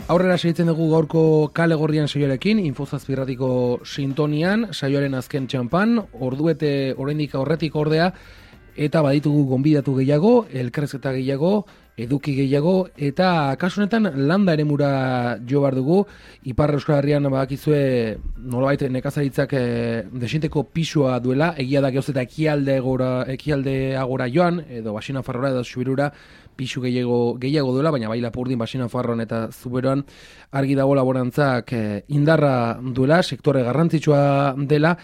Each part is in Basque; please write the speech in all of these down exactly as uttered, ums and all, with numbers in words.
Aurrera segitzen dugu gaurko kale gorrian saioarekin, Infozazpirratiko sintonian, saioaren azken txampan, orduete oraindik aurretik ordea, eta baditugu gonbidatu gehiago, elkarrizketa gehiago, eduki gehiago, eta kasu honetan landa eremura jo behar dugu. Ipar Euskal Herrian badakizue nolabait nekazaritzak e, desinteko pisua duela, egia da gehoz eta ekialde gora, ekialde agora joan, edo Basina Farrora edo Zubirura pisu gehiago, gehiago duela, baina bai Lapurdin, Basina Farroan eta Zuberoan argi dago laborantzak e, indarra duela, sektore garrantzitsua dela,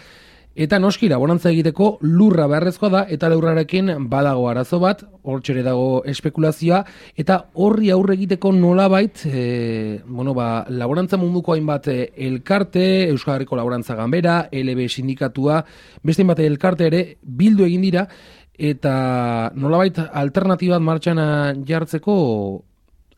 eta noski laborantza egiteko lurra beharrezkoa da, eta lurrarekin badago arazo bat, hortxere dago espekulazioa, eta horri aurre egiteko nolabait, e, bueno, ba, laborantza munduko hainbat elkarte, Euskal Herriko Laborantza Ganbera, L B sindikatua, beste hainbat elkarte ere bildu egin dira, eta nolabait alternatibat martxan jartzeko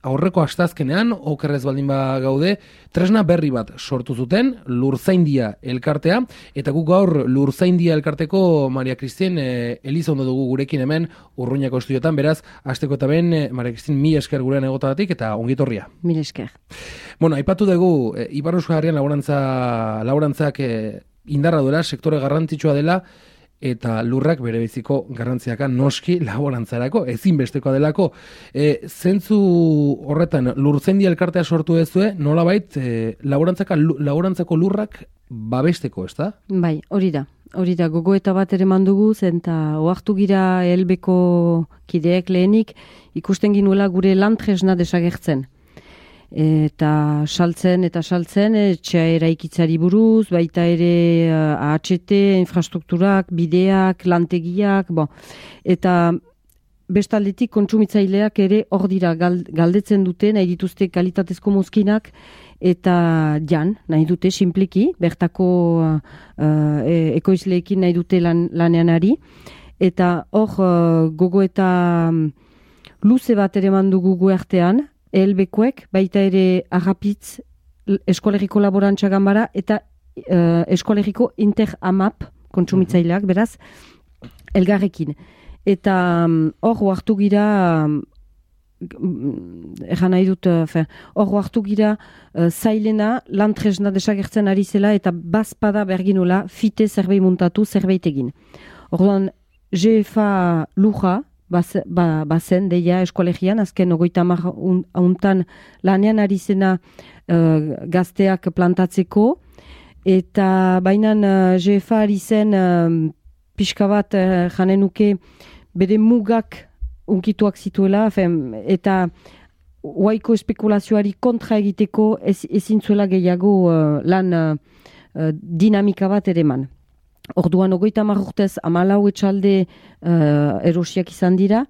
aurreko astazkenean, okerrez baldin ba gaude, tresna berri bat sortu zuten, Lurzaindia elkartea, eta guk gaur Lurzaindia elkarteko Maria Kristien e, Elizondo dugu gurekin hemen Urruñako estudiotan, beraz, asteko eta ben, e, Maria Kristien, mi esker gurean egotagatik eta ongitorria. Mil esker. Bueno, aipatu dugu, e, Ipar Euskal Herrian laborantza, laborantzak e, indarra duela, sektore garrantzitsua dela, eta lurrak bere biziko garrantziaka noski laborantzarako, ezinbestekoa delako. E, zentzu horretan, Lurzaindia elkartea sortu dezue, nolabait, e, laborantzako lurrak babesteko, ez da? Bai, hori da. Hori da, gogoeta bat ere mandugu, zen eta oartu gira helbeko kideek lehenik, ikusten ginuela gure lantresna desagertzen. Eta saltzen eta saltzen, etxea eraikitzari buruz, baita ere A H T, infrastrukturak, bideak, lantegiak, bo. Eta bestaldetik kontsumitzaileak ere hor dira galdetzen dute, nahi dituzte kalitatezko mozkinak, eta jan, nahi dute, simpliki, bertako uh, ekoizleekin nahi dute lan, lanean ari. Eta hor uh, gogo eta um, luze bat ere mandugu gu artean, Elbekoek, baita ere Agapitz Eskolegiko Laborantza Ganbara eta uh, Eskolegiko Inter-Amap kontsumitzaileak, beraz, elgarrekin. Eta hor um, hartu gira, um, egan nahi dut, hor uh, hartu gira uh, zailena, lantresna desagertzen ari zela eta bazpada berginola fite zerbait muntatu, zerbait egin. Orduan, G F A luja, bazen, ba, bazen deia eskolegian, azken ogoita hamar hauntan lanean ari zena uh, gazteak plantatzeko, eta bainan uh, G F A ari zen uh, pixka bat uh, janen nuke bere mugak unkituak zituela, fem, eta huaiko espekulazioari kontra egiteko ez, ezin zuela gehiago uh, lan uh, uh, dinamika bat ere man. Orduan, ogoita hamar urtez, hamalau etxalde uh, erosiak izan dira,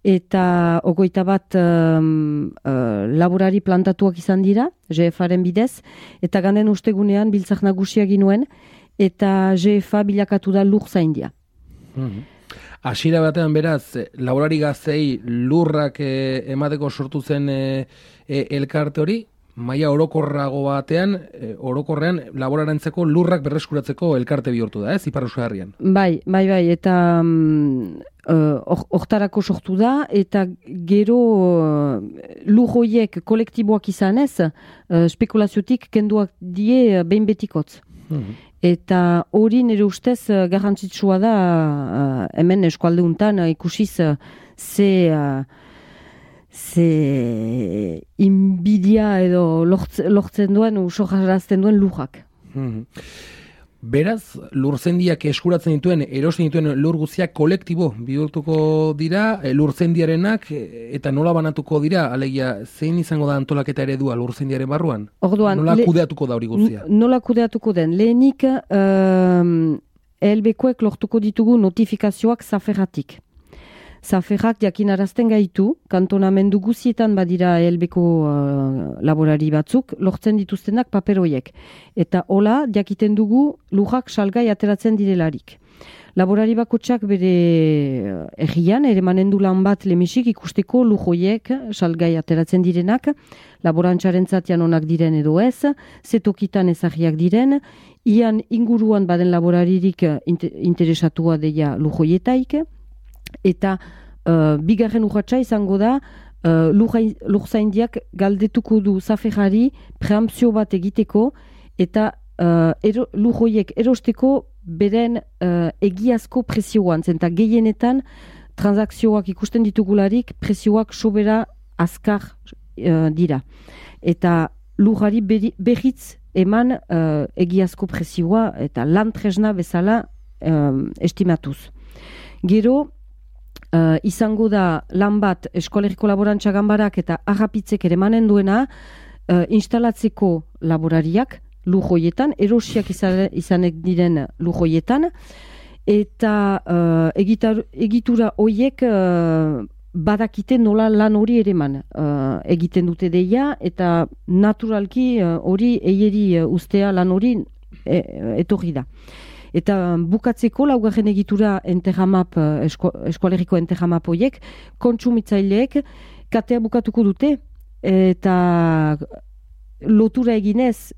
eta ogoita bat um, uh, laborari plantatuak izan dira, G F A-ren bidez, eta ganden ustegunean biltzak nagusia ginuen, eta G F A bilakatu da Lurzaindia. Mm-hmm. Hasiera batean beraz, laborari gaztei lurrak eh, emateko sortu zen eh, eh, elkarte hori, maila orokorrago batean, e, orokorrean laborarentzeko lurrak berreskuratzeko elkarte bihurtu da, ez, Ipar Euskal Herrian? Bai, bai, bai, eta hortarako um, uh, sortu da, eta gero uh, lur horiek kolektiboak izan ez, uh, spekulaziotik kenduak die uh, behin betikotz. Mm-hmm. Eta hori nire ustez uh, garrantzitsua da uh, hemen eskualde untan uh, ikusiz uh, ze... Uh, ze inbidia edo lortzen duen, usojarazten duen lujak. Mm-hmm. Beraz, Lurzaindiak eskuratzen dituen, erosten dituen lur guztiak kolektibo bihurtuko dira, Lurzaindiarenak, eta nola banatuko dira, alegia, zein izango da antolaketa eredua Lurzaindiaren barruan? Orduan, nola kudeatuko da hori guztia? Nola kudeatuko den? Lehenik, um, elbekoek lortuko ditugu notifikazioak zaferratik. Zaferrak jakinarazten gaitu, kantonamendu guzietan badira helbeko uh, laborari batzuk, lortzen dituztenak paperoiek. Eta hola, jakiten dugu lujak salgai ateratzen direlarik. Laborari bakotsak bere errian, ere manendu lan bat lemisik ikusteko lujoiek salgai ateratzen direnak, laborantzaren zatian onak diren edo ez, zetokitan ezagiak diren, ian inguruan baden laboraririk interesatua deia lujoietaik, eta uh, bigarren urratsa izango da uh, lurzaindiak galdetuko du zaferari preampzio bat egiteko eta uh, ero, lurroiek erosteko beren uh, egiazko prezioan, zenta gehienetan transakzioak ikusten ditugularik prezioak sobera azkar uh, dira. Eta lurrari berriz eman uh, egiazko prezioa eta lan tresna bezala um, estimatuz. Gero, uh, izango da lan bat Eskolegiko Laborantza Ganbarak eta Arrapitzek ere emanen duena uh, instalatzeko laborariak lujoietan, erosiak izan, izanek diren lujoietan, eta uh, egitar, egitura hoiek uh, badakite nola lan hori ere eman uh, egiten dute deia, eta naturalki hori uh, eieri uh, ustea lan hori e, etorri da. Eta bukatzeko laugarren egitura enterramap, esko, eskoaleriko enterramap horiek, kontsumitzaileek katea bukatuko dute, eta lotura eginez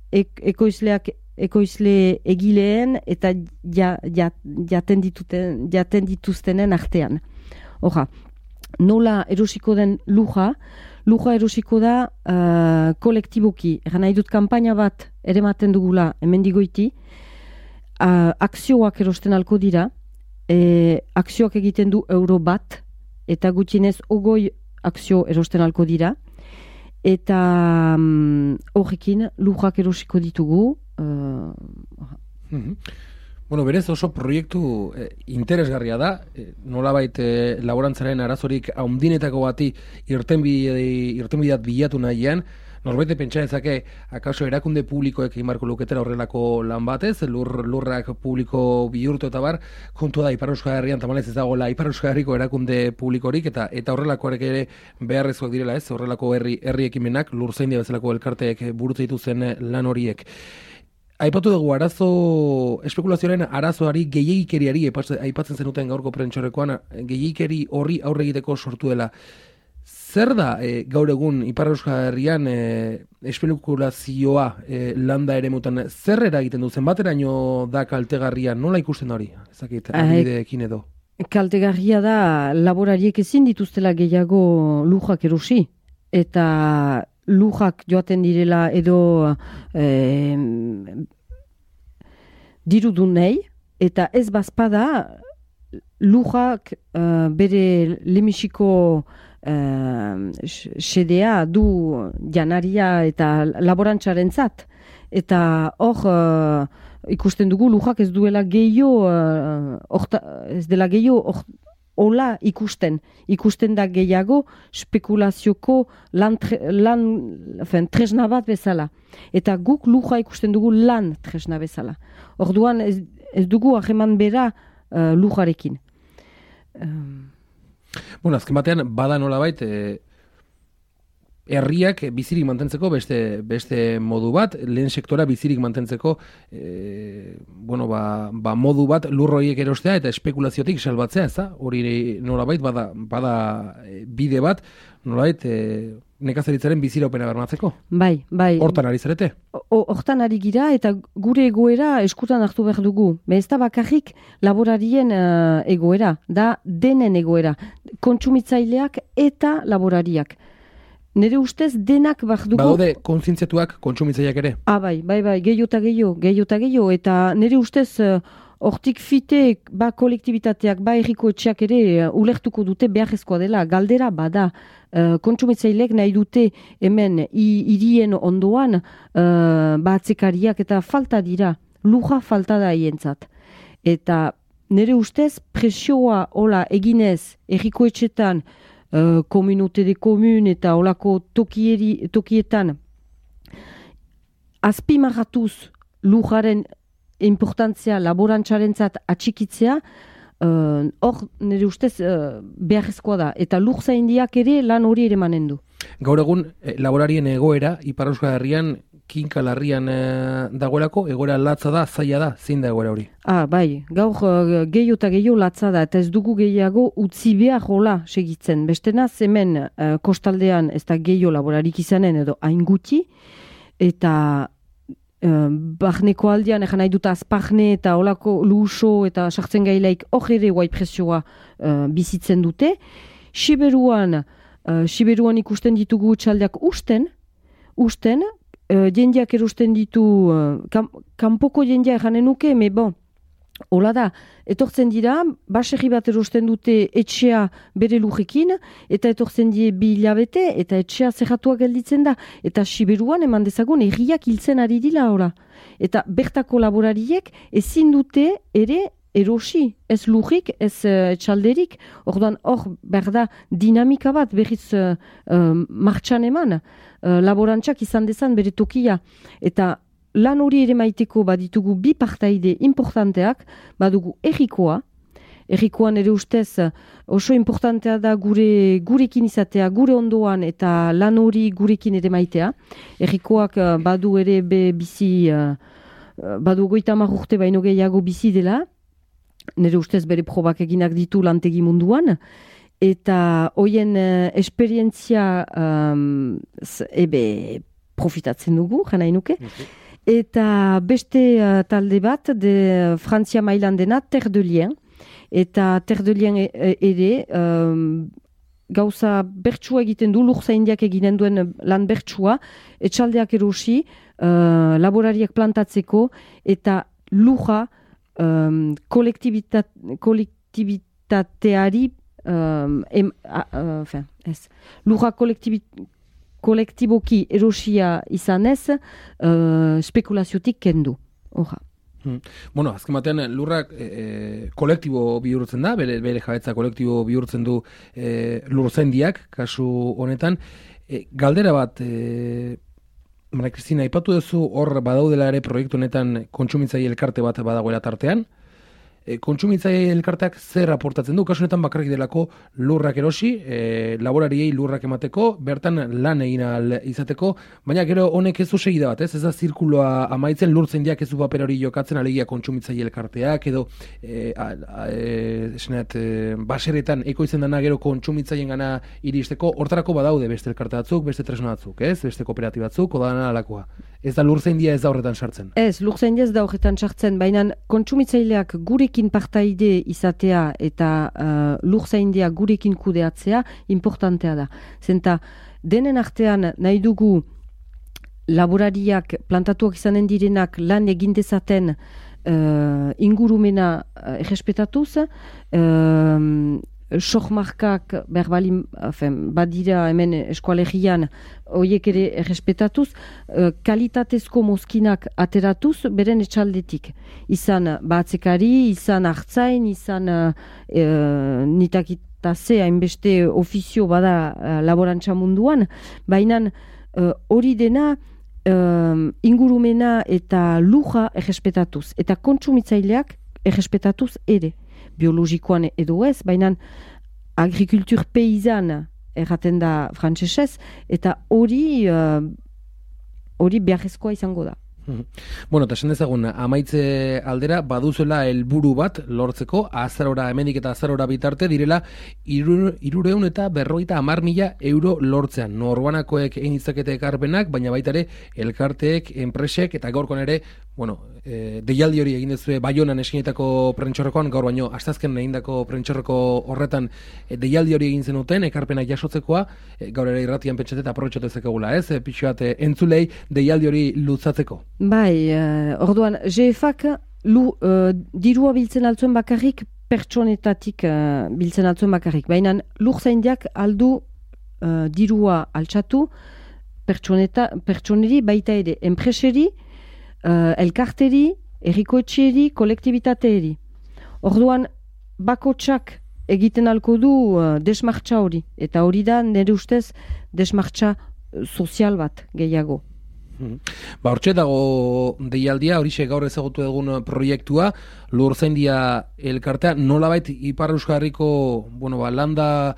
ek, ekoizleak ekoizle egileen eta ja, ja, jaten, dituten, jaten dituztenen artean. Oja, nola erosiko den luja, luja erosiko da uh, kolektiboki. Egan nahi dut kanpaina bat ere maten dugula hemendigoiti, uh, akzioak erosten alko dira, e, akzioak egiten du euro bat, eta gutxinez ogoi akzio erosten alko dira, eta horrekin um, lujak erosiko ditugu. Uh, mm-hmm. Bueno, berez oso proiektu eh, interesgarria da, eh, nolabait eh, laborantzaren arazorik haundinetako bati irtenbideat bilatu nahian, norbait pentsa dezake akaso erakunde publikoek imarko luketera horrelako lan batez, lur, lurrak publiko bihurtu eta bar, kontua da Ipar Euskal Herrian tamalez ez dagoela Ipar Euskal Herriko erakunde publikorik, eta eta horrelakoarek ere beharrezkoak direla ez, horrelako herri, herri ekimenak, lurzaindia bezalako elkarteek burutu dituzten lan horiek. Aipatu dugu arazo, espekulazioaren arazoari gehiagikeriari aipatzen zenuten gaurko prentxorekoan, gehiagikeri horri aurre egiteko sortu dela. Zer da e, gaur egun Ipar Euskal Herrian e, espekulazioa e, landa ere mutan, zer eragiten du, zenbateraino da kaltegarria, nola ikusten hori? Ezakit, adibideekin edo. Kaltegarria da laborariek ezin dituztela gehiago lujak erosi, eta lujak joaten direla edo eh, dirudun nahi, eta ez bazpada lujak uh, bere lemisiko uh, sedea du janaria eta laborantzaren zat. Eta hor uh, ikusten dugu lujak ez duela gehiago, uh, ez dela gehiago hola ikusten, ikusten da gehiago spekulazioko lan, tre, lan fen, tresna bat bezala. Eta guk luja ikusten dugu lan tresna bezala. Orduan ez, ez dugu aheman bera uh, lujarekin. Um. Bueno, azken batean, bada nolabait, e, herriak bizirik mantentzeko beste, beste modu bat, lehen sektora bizirik mantentzeko e, bueno, ba, ba modu bat lurroiek erostea eta espekulaziotik salbatzea, ez da? Hori nolabait bada, bada bide bat, nolabait e, nekazaritzaren biziraupena bermatzeko. Bai, bai. Hortan ari zarete? Hortan ari gira eta gure egoera eskutan hartu behar dugu. Ez da bakarrik laborarien uh, egoera, da denen egoera. Kontsumitzaileak eta laborariak. Nere ustez denak behar dugu... Badaude kontzientziatuak kontsumitzaileak ere? Ah, bai, bai, bai, gehiago eta gehiago, gehiago eta gehiago, eta nere ustez hortik uh, fite, ba kolektibitateak, ba erriko etxeak ere uh, ulertuko dute beharrezkoa dela, galdera bada, uh, kontsumitzaileek nahi dute hemen hirien ondoan uh, ba atzekariak eta falta dira, luja falta da hientzat. Eta nere ustez presioa hola eginez erriko etxetan, Uh, komunute de komun eta olako tokieri, tokietan azpimarratuz lujaren importantzia laborantzarentzat atxikitzea, hor uh, nire ustez uh, beharrezkoa da. Eta lurzaindiak ere lan hori ere manen du. Gaur egun eh, laborarien egoera, Ipar Euskal Herrian, kinka larrian eh, dagoelako, egoera latza da, zaila da, zein da egoera hori? Ah, bai, gaur uh, gehiago eta gehiago latza da, eta ez dugu gehiago utzi behar hola segitzen. Bestena, hemen uh, kostaldean ez da gehiago laborarik izanen edo hain gutxi, eta uh, barneko aldean, egan nahi dut azparne eta holako luso eta sartzen gailaik hor ere guai presioa uh, bizitzen dute. Siberuan, uh, Siberuan ikusten ditugu txaldeak usten, usten, uh, jendeak erosten ditu, uh, kam, kanpoko jendea janen nuke, me bon, hola da, etortzen dira, baserri bat erosten dute etxea bere lujekin, eta etortzen die bi hilabete, eta etxea zerratua gelditzen da, eta Siberuan eman dezagun erriak hiltzen ari dila ora. Eta bertako laborariek ezin dute ere erosi, ez lujik, ez uh, txalderik, orduan hor berda dinamika bat berriz uh, uh, martxan eman, uh, laborantzak izan dezan bere tokia, eta lan hori ere maiteko baditugu bi partaide importanteak, badugu errikoa, errikoan ere ustez oso importantea da gure gurekin izatea, gure ondoan eta lan hori gurekin ere maitea. Errikoak badu ere be bizi, badu goita hamar urte baino gehiago bizi dela, nire ustez bere probak eginak ditu lantegi munduan, eta hoien esperientzia um, ebe profitatzen dugu, jana inuke. Okay. Eta beste uh, talde bat, de Frantzia mailan dena, Terre de Lien. Eta Terre de Lien ere, um, gauza bertsua egiten du, lurzaindiak eginen duen lan bertsua, etxaldeak erosi, uh, laborariak plantatzeko, eta luja um, kolektibitat, kolektibitateari, um, em, a, a, fin, ez, luja kolektibitate, kolektiboki erosia izanez, uh, spekulaziotik kendu. Oja. Hmm. Bueno, azken batean lurrak e, kolektibo bihurtzen da, bere, bere jabetza kolektibo bihurtzen du e, lurzaindiak, kasu honetan. E, galdera bat, e, Maria Kristina, aipatu duzu hor badaudela ere proiektu honetan kontsumitzaile elkarte bat badagoela tartean. E, kontsumitzaile elkarteak zer aportatzen du? Kasu honetan bakarrik delako lurrak erosi, e, laborariei lurrak emateko, bertan lan egin ahal izateko, baina gero honek ez du segida bat, ez? Ez da zirkuloa amaitzen, lurzaindiak ez du paper hori jokatzen, alegia kontsumitzaile elkarteak, edo e, a, a, e, esenet, e, baseretan ekoizten dana gero kontsumitzaileen gana iristeko, hortarako badaude beste elkarte batzuk, beste tresna batzuk, ez? Beste kooperatiba batzuk, odana alakoa. Ez da lurzaindia ez da horretan sartzen. Ez, lurzaindia ez da horretan sartzen, baina kontsumitzaileak gurekin partaide izatea eta uh, lurzaindia gurekin kudeatzea importantea da. Zenta, denen artean nahi dugu laborariak plantatuak izanen direnak lan egin dezaten uh, ingurumena uh, errespetatuz, uh, sohmarkak berbalin, badira hemen eskualegian horiek ere errespetatuz, kalitatezko mozkinak ateratuz beren etxaldetik. Izan batzekari, izan hartzain, izan e, nitakitaze hainbeste ofizio bada e, laborantza munduan, baina hori e, dena e, ingurumena eta luja errespetatuz, eta kontsumitzaileak errespetatuz ere. Biologikoan edo ez, baina agrikultur peizan erraten da frantsesez, eta hori hori uh, beharrezkoa izango da. Bueno, eta esan dezagun, amaitze aldera, baduzuela helburu bat lortzeko, azarora, hemendik eta azarora bitarte, direla, irureun eta berrogeita hamar mila euro lortzean. Norbanakoek egin ditzakete ekarpenak, baina baita ere, elkarteek, enpresek, eta gaurkoan ere, bueno, e, deialdi hori egin dezue Baionan eskinetako prentxorrekoan, gaur baino, astazken egindako prentxorreko horretan e, deialdi hori egin zenuten, ekarpenak jasotzekoa, e, gaur ere irratian pentsate eta aprobetxatu ezakegula, ez? E, pixu bat, e, entzulei deialdi hori lutzatzeko. Bai, uh, orduan, G F A K lu, uh, dirua biltzen altzuen bakarrik, pertsonetatik uh, biltzen altzuen bakarrik. Baina lurzaindiak aldu uh, dirua altxatu pertsoneri baita ere, enpreseri, uh, elkarteri, errikoetxeri, kolektibitateeri. Orduan, bakotsak egiten alko du uh, desmartxa hori. Eta hori da, nire ustez, desmartxa sozial bat gehiago. Ba, hortxe dago deialdia, horixe gaur ezagutu egun proiektua, lurzaindia elkartea, nolabait Ipar Euskal Herriko, bueno, ba, landa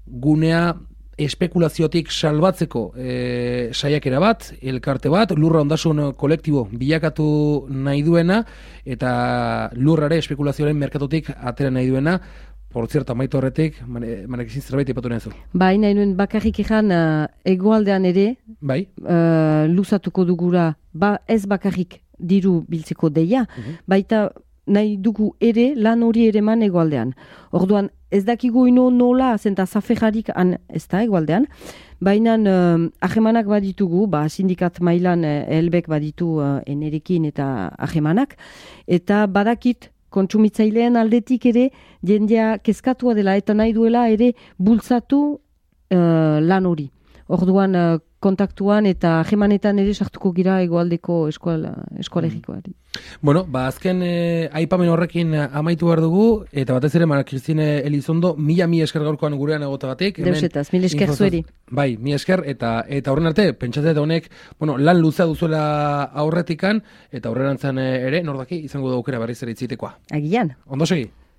gunea espekulaziotik salbatzeko e, saiakera bat, elkarte bat, lurra ondasun kolektibo bilakatu nahi duena, eta lurrare espekulazioaren merkatutik atera nahi duena. Por cierto, amaitu horretik, manekizin zerbait ipatu nahi zu. Bai, nahi nuen bakarrik egan uh, egoaldean ere, bai? Uh, luzatuko dugura, ba, ez bakarrik diru biltzeko deia, uh-huh. Baita nahi dugu ere lan hori ere eman egoaldean. Orduan, ez dakigu ino nola, zenta zaferrarik han ez da egoaldean, baina uh, ahemanak baditugu, ba, sindikat mailan uh, elbek baditu uh, enerekin eta ahemanak, eta badakit kontsumitzailean aldetik ere jendea kezkatua dela eta nahi duela ere bultzatu uh, lan hori. Orduan uh, kontaktuan eta ahemanetan ere sartuko gira egoaldeko eskola, eskolegikoari. Bueno, ba, azken eh, aipamen horrekin amaitu behar dugu, eta batez ere, Mara Kristine Elizondo, mila mi esker gaurkoan gurean egotagatik. Deusetaz, mil esker zueri. Bai, mi esker, eta eta horren arte, pentsatzea honek, bueno, lan luzea duzuela aurretikan, eta aurrerantzan ere, nordaki, izango da aukera berriz ere itzitekoa. Agian. Ondo segi?